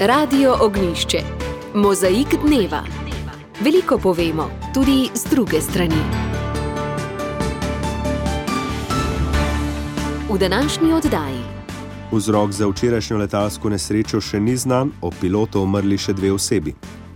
Radio Ognjišče. Mozaik dneva. Veliko povemo, tudi z druge strani. V današnji oddaji. Vzrok za včerajšnjo letalsko nesrečo še ni znan, o pilotu umrli še 2 osebi.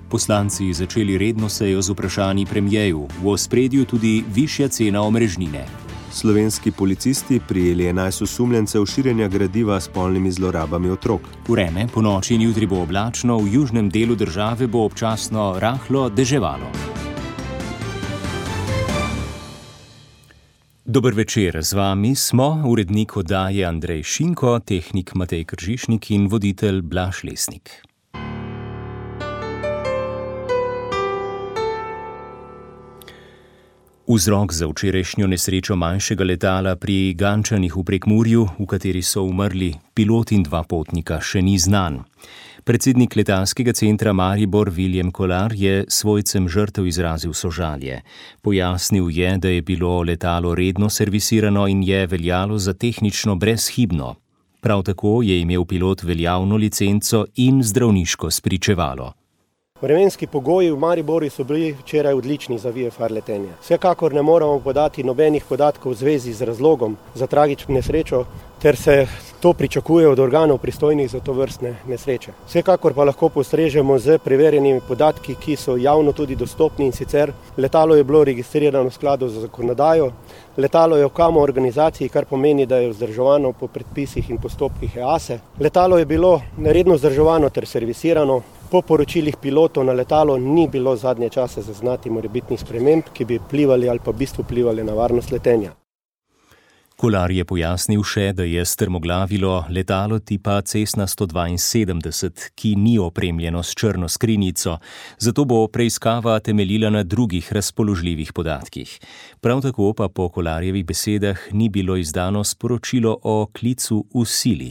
Poslanci začeli redno sejo z vprašanji premierju, v ospredju tudi višja cena omrežnine. Slovenski policisti prijeli 11 osumljencev širjenja gradiva s spolnimi zlorabami otrok. Vreme, ponoči in jutri bo oblačno, v južnem delu države bo občasno rahlo deževalo. Dober večer, z vami smo urednik oddaje Andrej Šinko, tehnik Matej Kržišnik in voditelj Blaž Lesnik. Vzrok za včerajšnjo nesrečo manjšega letala pri Gančanih v Prekmurju, v kateri so umrli pilot in 2 potnika, še ni znan. Predsednik letalskega centra Maribor Viljem Kolar je svojcem žrtev izrazil sožalje. Pojasnil je, da je bilo letalo redno servisirano in je veljalo za tehnično brezhibno. Prav tako je imel pilot veljavno licenco in zdravniško spričevalo. Vremenski pogoji v Mariboru so bili včeraj odlični za VFR letenje. Vsekakor ne moramo podati nobenih podatkov v zvezi z razlogom za tragično nesrečo, ter se to pričakuje od organov pristojnih za tovrstne nesreče. Vsekakor pa lahko postrežemo z preverjenimi podatki, ki so javno tudi dostopni, in sicer letalo je bilo registrirano v skladu z zakonodajo, letalo je v KAMO organizaciji, kar pomeni, da je vzdrževano po predpisih in postopkih EASE. Letalo je bilo redno vzdrževano ter servisirano. Po poročilih pilotov na letalo ni bilo zadnje čase zaznati morebitnih sprememb, ki bi vplivali ali pa v bistvu vplivali na varnost letenja. Kolar je pojasnil še, da je strmoglavilo letalo tipa Cessna 172, ki ni opremljeno s črno skrinjico, zato bo preiskava temeljila na drugih razpoložljivih podatkih. Prav tako pa po Kolarjevih besedah ni bilo izdano sporočilo o klicu v sili.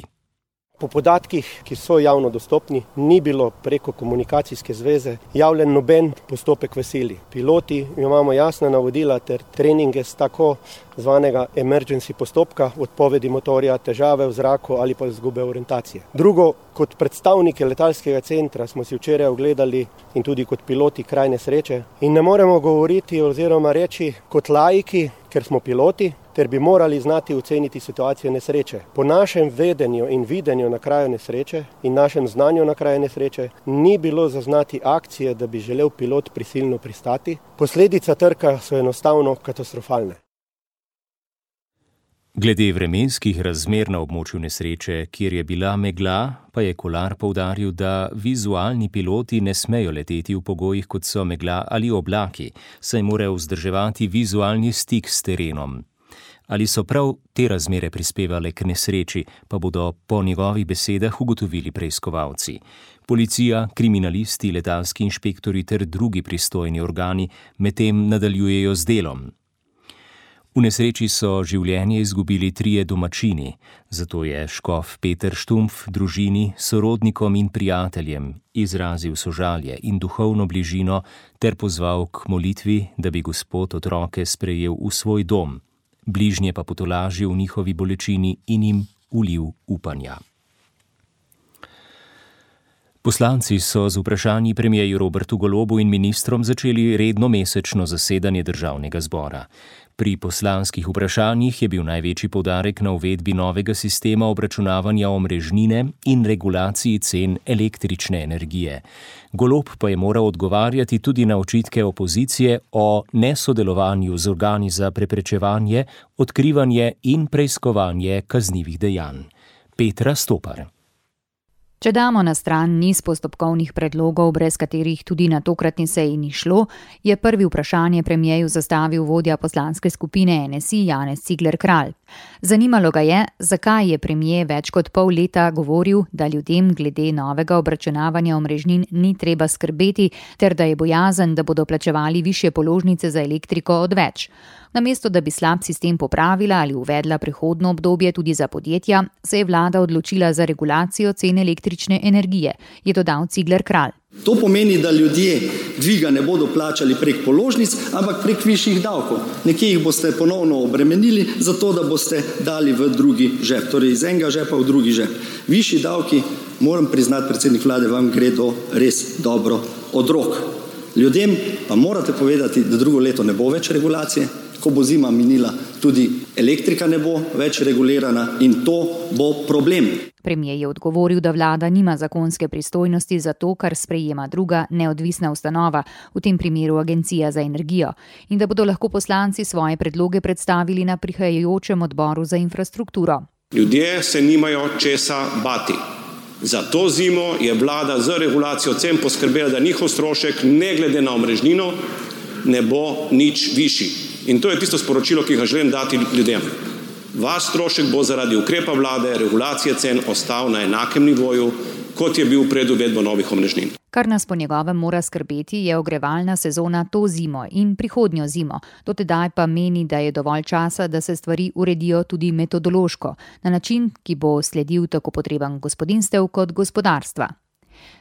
Po podatkih, ki so javno dostopni, ni bilo preko komunikacijske zveze javljen noben postopek v sili. Piloti imamo jasna navodila ter treninge z tako zvanega emergency postopka, odpovedi motorja, težave v zraku ali pa izgube orientacije. Drugo, kot predstavniki letalskega centra smo si včeraj ogledali in tudi kot piloti kraj nesreče in ne moremo govoriti oziroma reči kot laiki, ker smo piloti, ter bi morali znati oceniti situacijo nesreče. Po našem vedenju in videnju na kraju nesreče in našem znanju na kraju nesreče ni bilo zaznati akcije, da bi želel pilot prisilno pristati. Posledica trka so enostavno katastrofalne. Glede vremenskih razmer na območju nesreče, kjer je bila megla, pa je Kolar poudaril, da vizualni piloti ne smejo leteti v pogojih, kot so megla ali oblaki, saj morajo vzdrževati vizualni stik s terenom. Ali so prav te razmere prispevale k nesreči, pa bodo po njegovih besedah ugotovili preiskovalci. Policija, kriminalisti, letalski inšpektori ter drugi pristojni organi medtem nadaljujejo z delom. V nesreči so življenje izgubili 3 domačini, zato je škof Peter Štumpf družini, sorodnikom in prijateljem izrazil sožalje in duhovno bližino ter pozval k molitvi, da bi Gospod otroke sprejel v svoj dom. Bližnje pa potolažil v njihovi bolečini in jim ulil upanja. Poslanci so z vprašanji premierju Robertu Golobu in ministrom začeli redno mesečno zasedanje državnega zbora. Pri poslanskih vprašanjih je bil največji poudarek na uvedbi novega sistema obračunavanja omrežnine in regulaciji cen električne energije. Golob pa je moral odgovarjati tudi na očitke opozicije o nesodelovanju z organi za preprečevanje, odkrivanje in preiskovanje kaznivih dejanj. Petra Stopar. Če damo na stran niz postopkovnih predlogov, brez katerih tudi na tokratni seji ni šlo, je prvi vprašanje premierju zastavil vodja poslanske skupine NSI Janez Cigler Kralj. Zanimalo ga je, zakaj je premier več kot pol leta govoril, da ljudem glede novega obračunavanja omrežnin ni treba skrbeti, ter da je bojazen, da bodo plačevali višje položnice za elektriko odveč. Namesto da bi slab sistem popravila ali uvedla prehodno obdobje tudi za podjetja, se je vlada odločila za regulacijo cen električne energije, je dodal Cigler Kralj. To pomeni, da ljudje dviga ne bodo plačali prek položnic, ampak prek višjih davkov. Nekje jih boste ponovno obremenili, zato da boste dali v drugi žep, torej iz enega žepa v drugi žep. Višji davki, moram priznati, predsednik vlade, vam gre to res dobro od rok. Ljudem pa morate povedati, da drugo leto ne bo več regulacije, ko bo zima minila, tudi elektrika ne bo več regulirana in to bo problem. Premier je odgovoril, da vlada nima zakonske pristojnosti za to, kar sprejema druga neodvisna ustanova, v tem primeru Agencija za energijo, in da bodo lahko poslanci svoje predloge predstavili na prihajajočem odboru za infrastrukturo. Ljudje se nimajo česa bati. Za to zimo je vlada z regulacijo cen poskrbela, da njihov strošek, ne glede na omrežnino, ne bo nič višji. In to je tisto sporočilo, ki ga želim dati ljudem. Vaš strošek bo zaradi ukrepa vlade, regulacije cen ostal na enakem nivoju, kot je bil pred uvedbo novih omrežnin. Kar nas po njegovem mora skrbeti, je ogrevalna sezona to zimo in prihodnjo zimo. Do tedaj pa meni, da je dovolj časa, da se stvari uredijo tudi metodološko, na način, ki bo sledil tako potrebam gospodinjstev kot gospodarstva.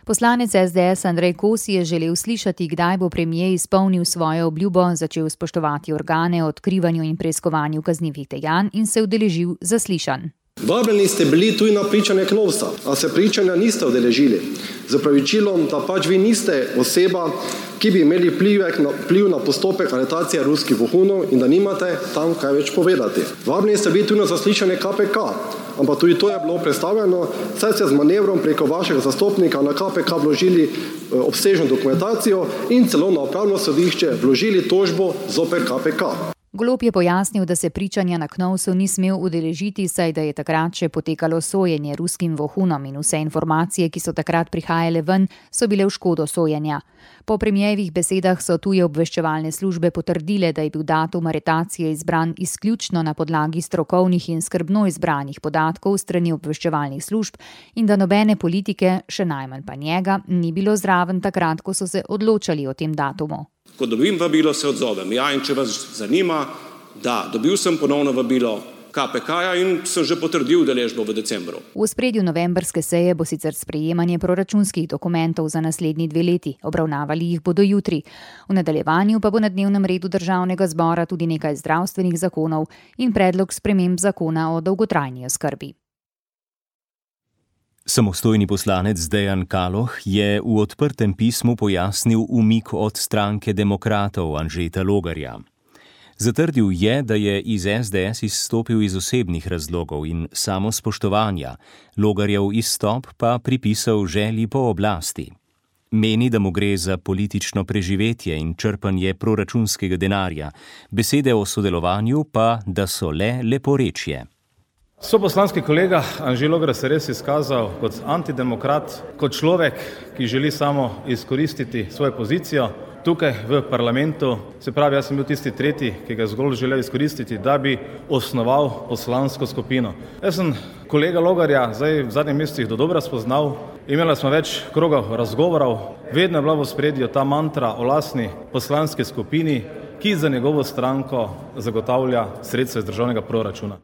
Poslanec SDS Andrej Kosi je želel slišati, kdaj bo premier izpolnil svojo obljubo, začel spoštovati organe o odkrivanju in preiskovanju kaznivih dejanj in se udeležil zaslišanj. Vabljeni ste bili tudi na pričanje Knovsa, a se pričanja niste udeležili. Z opravičilom, da pač vi niste oseba, ki bi imeli vpliv na postopek aretacije ruskih vohunov in da nimate tam kaj več povedati. Vabljeni ste bili tudi na zaslišanje KPK, ampak tudi to je bilo predstavljeno, saj ste z manevrom preko vašega zastopnika na KPK vložili obsežno dokumentacijo in celo na upravno sodišče vložili tožbo zoper KPK. Golob je pojasnil, da se pričanja na Knovsu ni smel udeležiti, saj da je takrat še potekalo sojenje ruskim vohunom in vse informacije, ki so takrat prihajale ven, so bile v škodo sojenja. Po premierjevih besedah so tuje obveščevalne službe potrdile, da je bil datum aretacije izbran izključno na podlagi strokovnih in skrbno izbranih podatkov strani obveščevalnih služb in da nobene politike, še najmanj pa njega, ni bilo zraven takrat, ko so se odločali o tem datumu. Ko dobim vabilo, se odzovem. Ja, in če vas zanima, da, dobil sem ponovno vabilo KPK-ja in sem že potrdil udeležbo v decembru. V ospredju novembrske seje bo sicer sprejemanje proračunskih dokumentov za naslednji 2 leti. Obravnavali jih bodo jutri. V nadaljevanju pa bo na dnevnem redu državnega zbora tudi nekaj zdravstvenih zakonov in predlog sprememb zakona o dolgotrajni oskrbi. Samostojni poslanec Dejan Kaloh je v odprtem pismu pojasnil umik od stranke demokratov Anžeta Logarja. Zatrdil je, da je iz SDS izstopil iz osebnih razlogov in samospoštovanja, Logarjev izstop pa pripisal želji po oblasti. Meni, da mu gre za politično preživetje in črpanje proračunskega denarja, besede o sodelovanju pa, da so le leporečje. Soposlanski kolega Anže Logar se res izkazal kot antidemokrat, kot človek, ki želi samo izkoristiti svojo pozicijo tukaj v parlamentu. Se pravi, jaz sem bil tisti tretji, ki ga zgolj želel izkoristiti, da bi osnoval poslansko skupino. Jaz sem kolega Logarja zdaj v zadnjih mesecih dodobra spoznal, imeli smo več krogov razgovorov, vedno je bila v ospredju ta mantra o lastni poslanski skupini, ki za njegovo stranko zagotavlja sredstva iz državnega proračuna.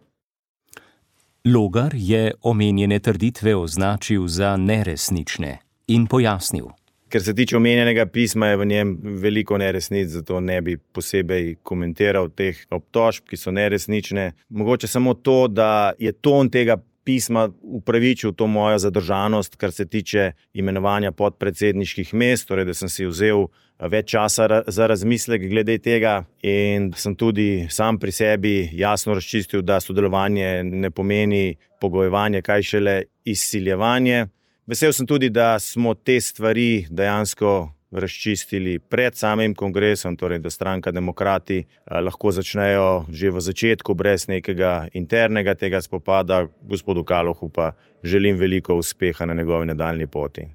Logar je omenjene trditve označil za neresnične in pojasnil. Ker se tiče omenjenega pisma, je v njem veliko neresnic, zato ne bi posebej komentiral teh obtožb, ki so neresnične. Mogoče samo to, da je ton tega pisma upravičil to mojo zadržanost, kar se tiče imenovanja podpredsedniških mest, torej da sem si vzel več časa za razmislek glede tega in sem tudi sam pri sebi jasno razčistil, da sodelovanje ne pomeni pogojevanje, kaj šele izsiljevanje. Vesel sem tudi, da smo te stvari dejansko razčistili pred samim kongresom, torej da stranka Demokrati lahko začnejo že v začetku brez nekega internega tega spopada. Gospodu Kalohu pa želim veliko uspeha na njegovi nadaljnji poti.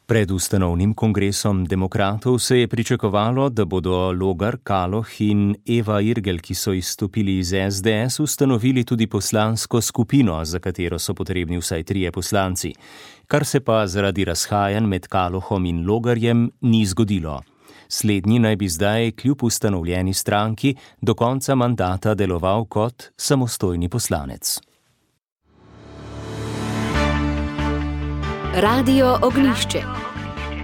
Pred ustanovnim kongresom demokratov se je pričakovalo, da bodo Logar, Kaloh in Eva Irgl, ki so izstopili iz SDS, ustanovili tudi poslansko skupino, za katero so potrebni vsaj 3 poslanci, kar se pa zaradi razhajanj med Kalohom in Logarjem ni zgodilo. Slednji naj bi zdaj kljub ustanovljeni stranki do konca mandata deloval kot samostojni poslanec. Radio Ognjišče.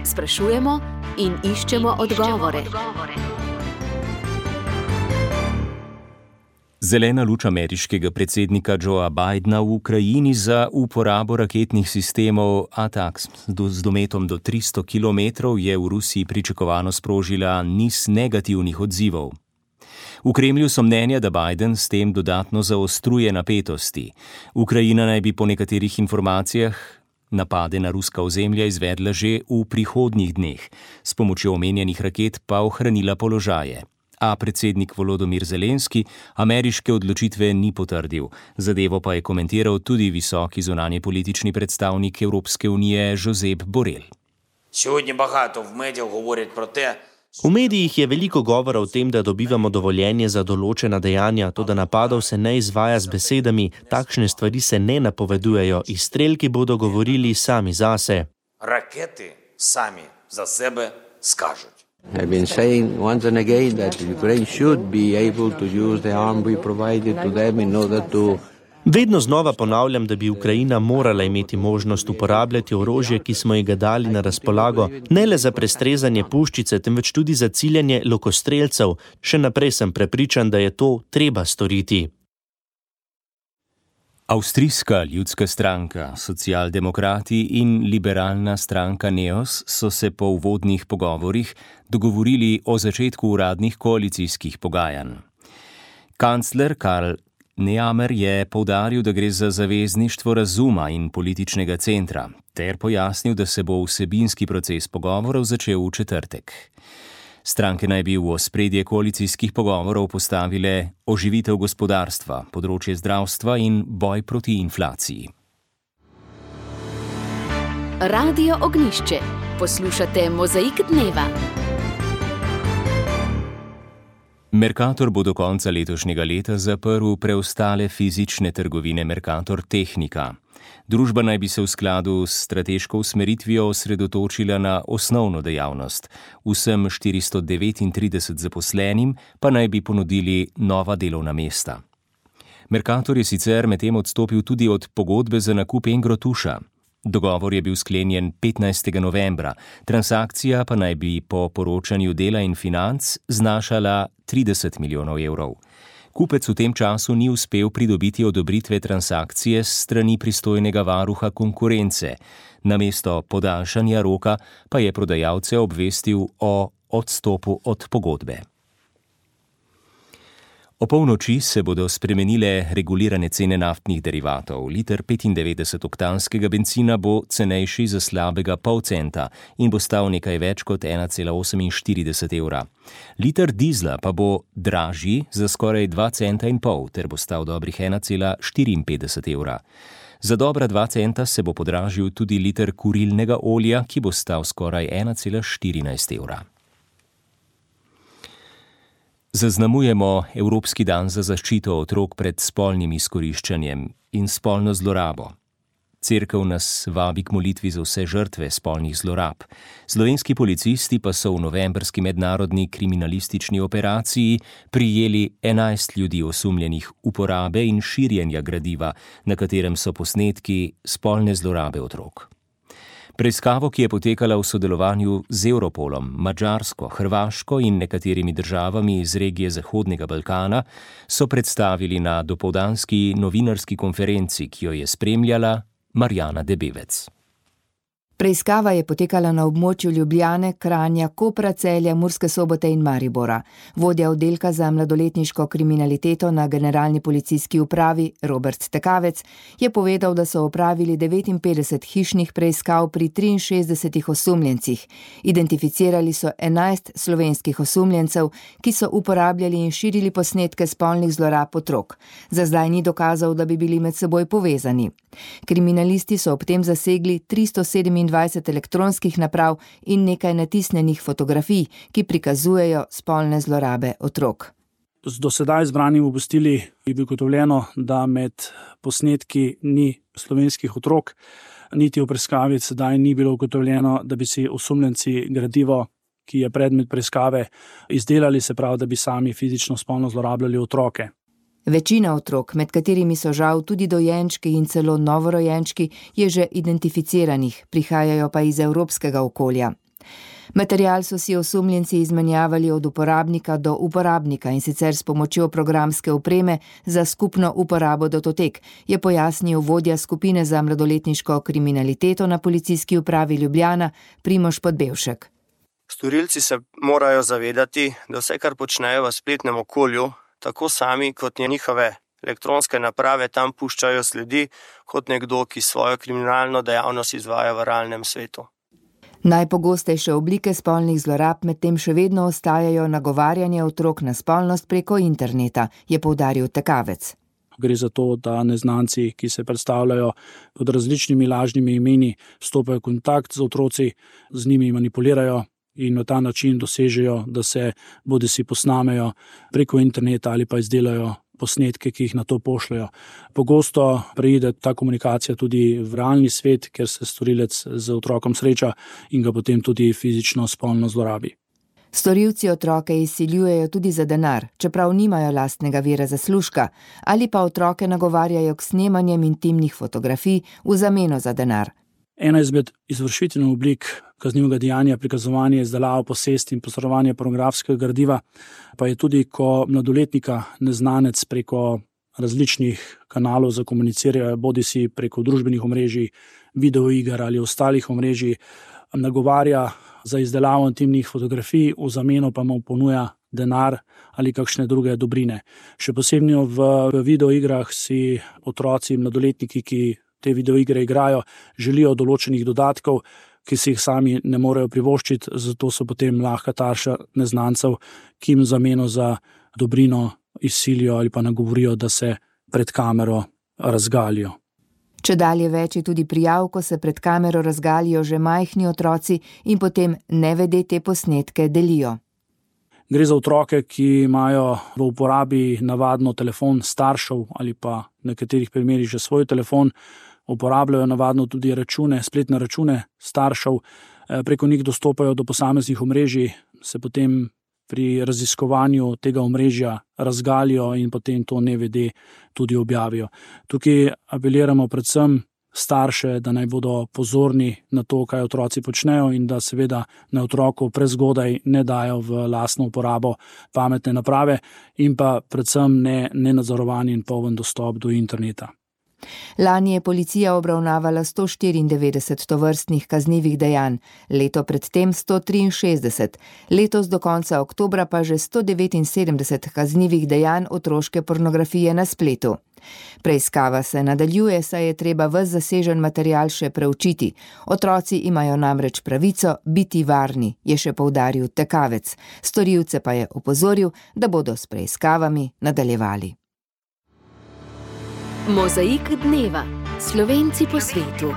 Sprašujemo in iščemo odgovore. Zelena luč ameriškega predsednika Joea Bidena v Ukrajini za uporabo raketnih sistemov ATACMS z dometom do 300 km je v Rusiji pričakovano sprožila niz negativnih odzivov. V Kremlju so mnenja, da Biden s tem dodatno zaostruje napetosti. Ukrajina naj bi po nekaterih informacijah napade na ruska ozemlja izvedla že v prihodnjih dneh, s pomočjo omenjenih raket pa ohranila položaje. A predsednik Volodymyr Zelenski ameriške odločitve ni potrdil. Zadevo pa je komentiral tudi visoki zunanjepolitični predstavnik Evropske unije Josep Borrell. V medijih je veliko govora o tem, da dobivamo dovoljenje za določena dejanja, toda napadov se ne izvaja z besedami, takšne stvari se ne napovedujejo, izstrelki bodo govorili sami zase. Raketi sami za sebe skažуть. I've been saying once and again that Ukraine should be able to use the arm we provided to them in order to... Vedno znova ponavljam, da bi Ukrajina morala imeti možnost uporabljati orožje, ki smo ji ga dali na razpolago, ne le za prestrezanje puščice, temveč tudi za ciljanje lokostrelcev. Še naprej sem prepričan, da je to treba storiti. Avstrijska ljudska stranka, socialdemokrati in liberalna stranka NEOS so se po uvodnih pogovorih dogovorili o začetku uradnih koalicijskih pogajanj. Kancler Karl Nehammer je poudaril, da gre za zavezništvo razuma in političnega centra, ter pojasnil, da se bo vsebinski proces pogovorov začel v četrtek. Stranke naj bi v ospredje koalicijskih pogovorov postavile oživitev gospodarstva, področje zdravstva in boj proti inflaciji. Radio Ognjišče. Poslušate Mozaik dneva. Mercator bo do konca letošnjega leta zaprl preostale fizične trgovine Mercator Tehnika. Družba naj bi se v skladu s strateško usmeritvijo osredotočila na osnovno dejavnost. Vsem 439 zaposlenim pa naj bi ponudili nova delovna mesta. Mercator je sicer medtem odstopil tudi od pogodbe za nakup Engrotuša. Dogovor je bil sklenjen 15. novembra, transakcija pa naj bi po poročanju Dela in Financ znašala 30 milijonov evrov. Kupec v tem času ni uspel pridobiti odobritve transakcije s strani pristojnega varuha konkurence. Namesto podaljšanja roka pa je prodajalce obvestil o odstopu od pogodbe. O polnoči se bodo spremenile regulirane cene naftnih derivatov. Liter 95-oktanskega bencina bo cenejši za slabega pol centa in bo stal nekaj več kot 1,48 evra. Liter dizla pa bo dražji za skoraj 2,5 centa ter bo stal dobrih 1,54 evra. Za dobra 2 centa se bo podražil tudi liter kurilnega olja, ki bo stal skoraj 1,14 evra. Zaznamujemo Evropski dan za zaščito otrok pred spolnim izkoriščanjem in spolno zlorabo. Cerkev nas vabi k molitvi za vse žrtve spolnih zlorab. Slovenski policisti pa so v novembrski mednarodni kriminalistični operaciji prijeli 11 ljudi osumljenih uporabe in širjenja gradiva, na katerem so posnetki spolne zlorabe otrok. Preiskavo, ki je potekala v sodelovanju z Europolom, Madžarsko, Hrvaško in nekaterimi državami iz regije Zahodnega Balkana, so predstavili na dopoldanski novinarski konferenci, ki jo je spremljala Marjana Debevec. Preiskava je potekala na območju Ljubljane, Kranja, Kopra, Celja, Murske Sobote in Maribora. Vodja oddelka za mladoletniško kriminaliteto na Generalni policijski upravi Robert Tekavec je povedal, da so opravili 59 hišnih preiskav pri 63 osumljencih. Identificirali so 11 slovenskih osumljencev, ki so uporabljali in širili posnetke spolnih zlorab otrok. Za zdaj ni dokazal, da bi bili med seboj povezani. Kriminalisti so ob tem zasegli 327 elektronskih naprav in nekaj natisnjenih fotografij, ki prikazujejo spolne zlorabe otrok. Z do sedaj zbranim obvestili je bilo ugotovljeno, da med posnetki ni slovenskih otrok, niti v preiskavi sedaj ni bilo ugotovljeno, da bi si osumljenci gradivo, ki je predmet preiskave, izdelali, se pravi, da bi sami fizično spolno zlorabljali otroke. Večina otrok, med katerimi so žal tudi dojenčki in celo novorojenčki, je že identificiranih, prihajajo pa iz evropskega okolja. Material so si osumljenci izmenjavali od uporabnika do uporabnika in sicer s pomočjo programske opreme za skupno uporabo datotek, je pojasnil vodja skupine za mladoletniško kriminaliteto na Policijski upravi Ljubljana Primož Podbevšek. Storilci se morajo zavedati, da vse, kar počnejo v spletnem okolju, tako sami kot njihove elektronske naprave tam puščajo sledi, kot nekdo, ki svojo kriminalno dejavnost izvaja v realnem svetu. Najpogostejše oblike spolnih zlorab medtem še vedno ostajajo nagovarjanje otrok na spolnost preko interneta, je poudaril Tekavec. Gre za to, da neznanci, ki se predstavljajo pod različnimi lažnimi imeni, stopajo v kontakt z otroci, z njimi manipulirajo in na ta način dosežejo, da se bodisi posnamejo preko interneta ali pa izdelajo posnetke, ki jih na to pošljajo. Pogosto preide ta komunikacija tudi v realni svet, ker se storilec z otrokom sreča in ga potem tudi fizično spolno zlorabi. Storilci otroke izsiljujejo tudi za denar, čeprav nimajo lastnega vira zaslužka, ali pa otroke nagovarjajo k snemanjem intimnih fotografij v zameno za denar. Ena izmed izvršitev oblik kaznivega dejanja prikazovanje, izdelavo, posest in posredovanje pornografskega gradiva pa je tudi, ko mladoletnika neznanec preko različnih kanalov zakomunicirajo, bodisi preko družbenih omrežij, videoiger ali ostalih omrežij, nagovarja za izdelavo intimnih fotografij, v zameno pa mu ponuja denar ali kakšne druge dobrine. Še posebno v videoigrah si otroci, mladoletniki, ki te videoigre igrajo, želijo določenih dodatkov, ki si jih sami ne morejo privoščiti, zato so potem lahka tarša neznancev, ki jim zameno za dobrino izsilijo ali pa nagovorijo, da se pred kamero razgalijo. Čedalje več je tudi prijav, ko se pred kamero razgalijo že majhni otroci in potem nevede te posnetke delijo. Gre za otroke, ki imajo v uporabi navadno telefon staršev ali pa v nekaterih primerih že svoj telefon, uporabljajo navadno tudi račune, spletne račune staršev, preko njih dostopajo do posameznih omrežij, se potem pri raziskovanju tega omrežja razgalijo in potem to nevede tudi objavijo. Tukaj apeliramo predvsem starše, da naj bodo pozorni na to, kaj otroci počnejo in da seveda na otroku prezgodaj ne dajo v lastno uporabo pametne naprave in pa predvsem nenadzorovani in poln dostop do interneta. Lani je policija obravnavala 194 tovrstnih kaznivih dejanj, leto predtem 163, letos do konca oktobra pa že 179 kaznivih dejanj otroške pornografije na spletu. Preiskava se nadaljuje, saj je treba ves zasežen material še preučiti. Otroci imajo namreč pravico biti varni, je še poudaril Tekavec. Storilce pa je opozoril, da bodo s preiskavami nadaljevali. Mozaik dneva. Slovenci po svetu.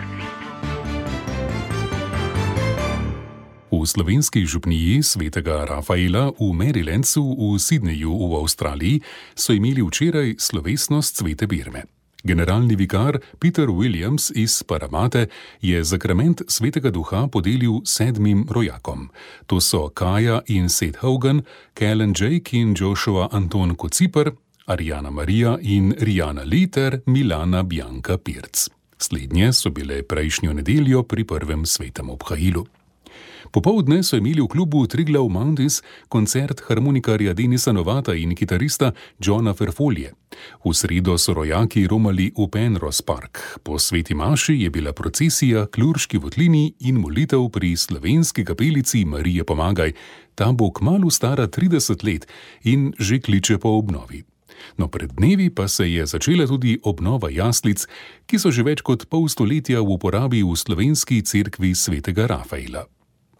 V slovenski župniji svetega Rafaela v Marylandu v Sydneyju v Avstraliji so imeli včeraj slovesnost svete Birme. Generalni vikar Peter Williams iz Paramate je zakrament svetega duha podelil 7 rojakom. To so Kaja in Seth Hogan, Kellen Jake in Joshua Anton Kociper, Ariana Marija in Rihanna Lee ter Milana Bianca Pirc. Slednje so bile prejšnjo nedeljo pri prvem svetem obhajilu. Popoldne so imeli v klubu Triglav Mountains koncert harmonikarja Denisa Novata in kitarista Johna Ferfolje. V sredo so rojaki romali v Penrose Park. Po sveti maši je bila procesija k Lurški votlini in molitev pri slovenski kapelici Marije Pomagaj. Ta bo kmalu stara 30 let in že kliče po obnovi. No, pred dnevi pa se je začela tudi obnova jaslic, ki so že več kot pol stoletja v uporabi v slovenski cerkvi svetega Rafaela.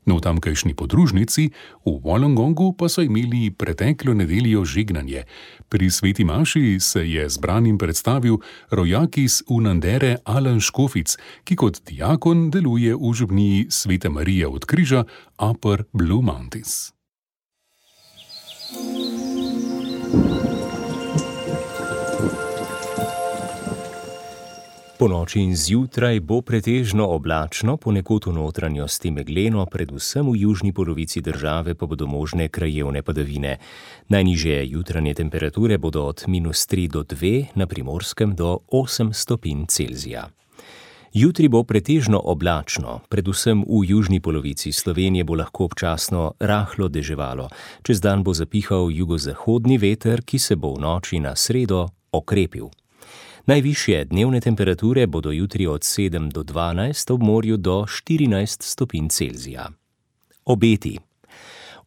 No, v tamkajšnji podružnici v Wollongongu pa so imeli preteklo nedeljo žegnanje. Pri sveti maši se je zbranim predstavil rojak iz Unandere Alan Škofic, ki kot diakon deluje v župniji Svete Marije od Križa Upper Blue Mountains. Po noči in zjutraj bo pretežno oblačno, ponekod v notranjosti megleno, predvsem v južni polovici države pa bodo možne krajevne padavine. Najnižje jutranje temperature bodo od -3 do 2, na Primorskem do 8 stopinj Celzija. Jutri bo pretežno oblačno, predvsem v južni polovici Slovenije bo lahko občasno rahlo deževalo. Čez dan bo zapihal jugozahodni veter, ki se bo v noči na sredo okrepil. Najvišje dnevne temperature bodo jutri od 7 do 12, ob morju do 14 stopinj Celzija. Obeti.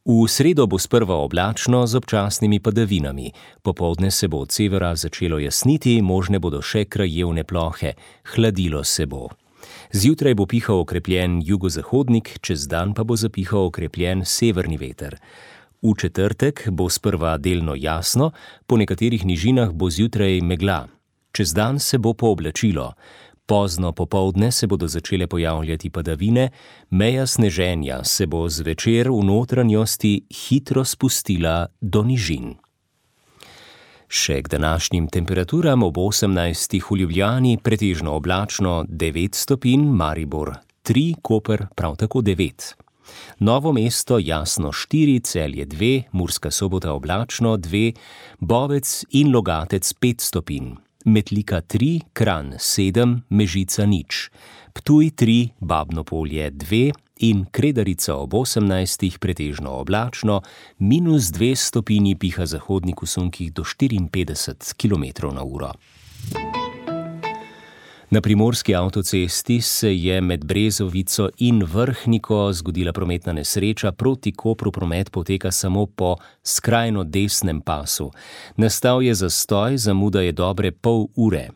V sredo bo sprva oblačno z občasnimi padavinami. Popoldne se bo od severa začelo jasniti, možne bodo še krajevne plohe. Hladilo se bo. Zjutraj bo pihal okrepljen jugozahodnik, čez dan pa bo zapihal okrepljen severni veter. V četrtek bo sprva delno jasno, po nekaterih nižinah bo zjutraj megla. Čez dan se bo pooblačilo. Pozno popoldne se bodo začele pojavljati padavine, meja sneženja se bo zvečer v notranjosti hitro spustila do nižin. Še k današnjim temperaturam ob 18. v Ljubljani pretežno oblačno 9 stopinj, Maribor 3, Koper prav tako 9. Novo mesto jasno 4, Celje 2, Murska Sobota oblačno 2, Bovec in Logatec 5 stopinj. Metlika 3, Kranj 7, Mežica 0, Ptuj 3, Babno Polje 2 in Kredarica ob 18, pretežno oblačno, -2 stopinji piha zahodnik v sunkih do 54 km/h. Na primorski avtocesti se je med Brezovico in Vrhniko zgodila prometna nesreča, proti Kopru promet poteka samo po skrajno desnem pasu. Nastal je zastoj, zamuda je dobre pol ure.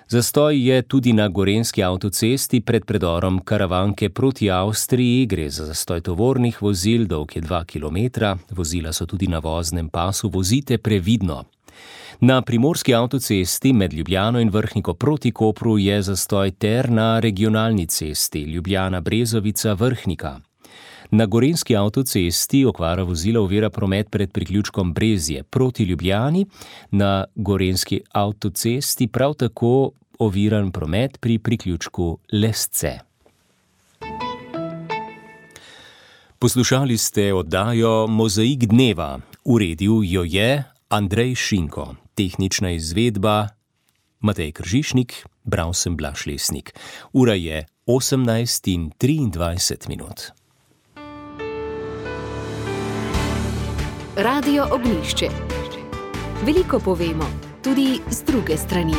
Zastoj je tudi na gorenjski avtocesti pred predorom Karavanke proti Avstriji, gre za zastoj tovornih vozil, dolg je 2 km, vozila so tudi na voznem pasu, vozite previdno. Na primorski avtocesti med Ljubljano in Vrhniko proti Kopru je zastoj ter na regionalni cesti Ljubljana-Brezovica Vrhnika. Na gorenjski avtocesti okvara vozila ovira promet pred priključkom Brezje proti Ljubljani, na gorenjski avtocesti prav tako oviran promet pri priključku Lesce. Poslušali ste oddajo Mozaik dneva. Uredil jo je Andrej Šinko. Tehnična izvedba Matej Kržišnik, bral sem Blaž Lesnik. Ura je 18:23. Radio Ognjišče. Veliko povemo, tudi z druge strani.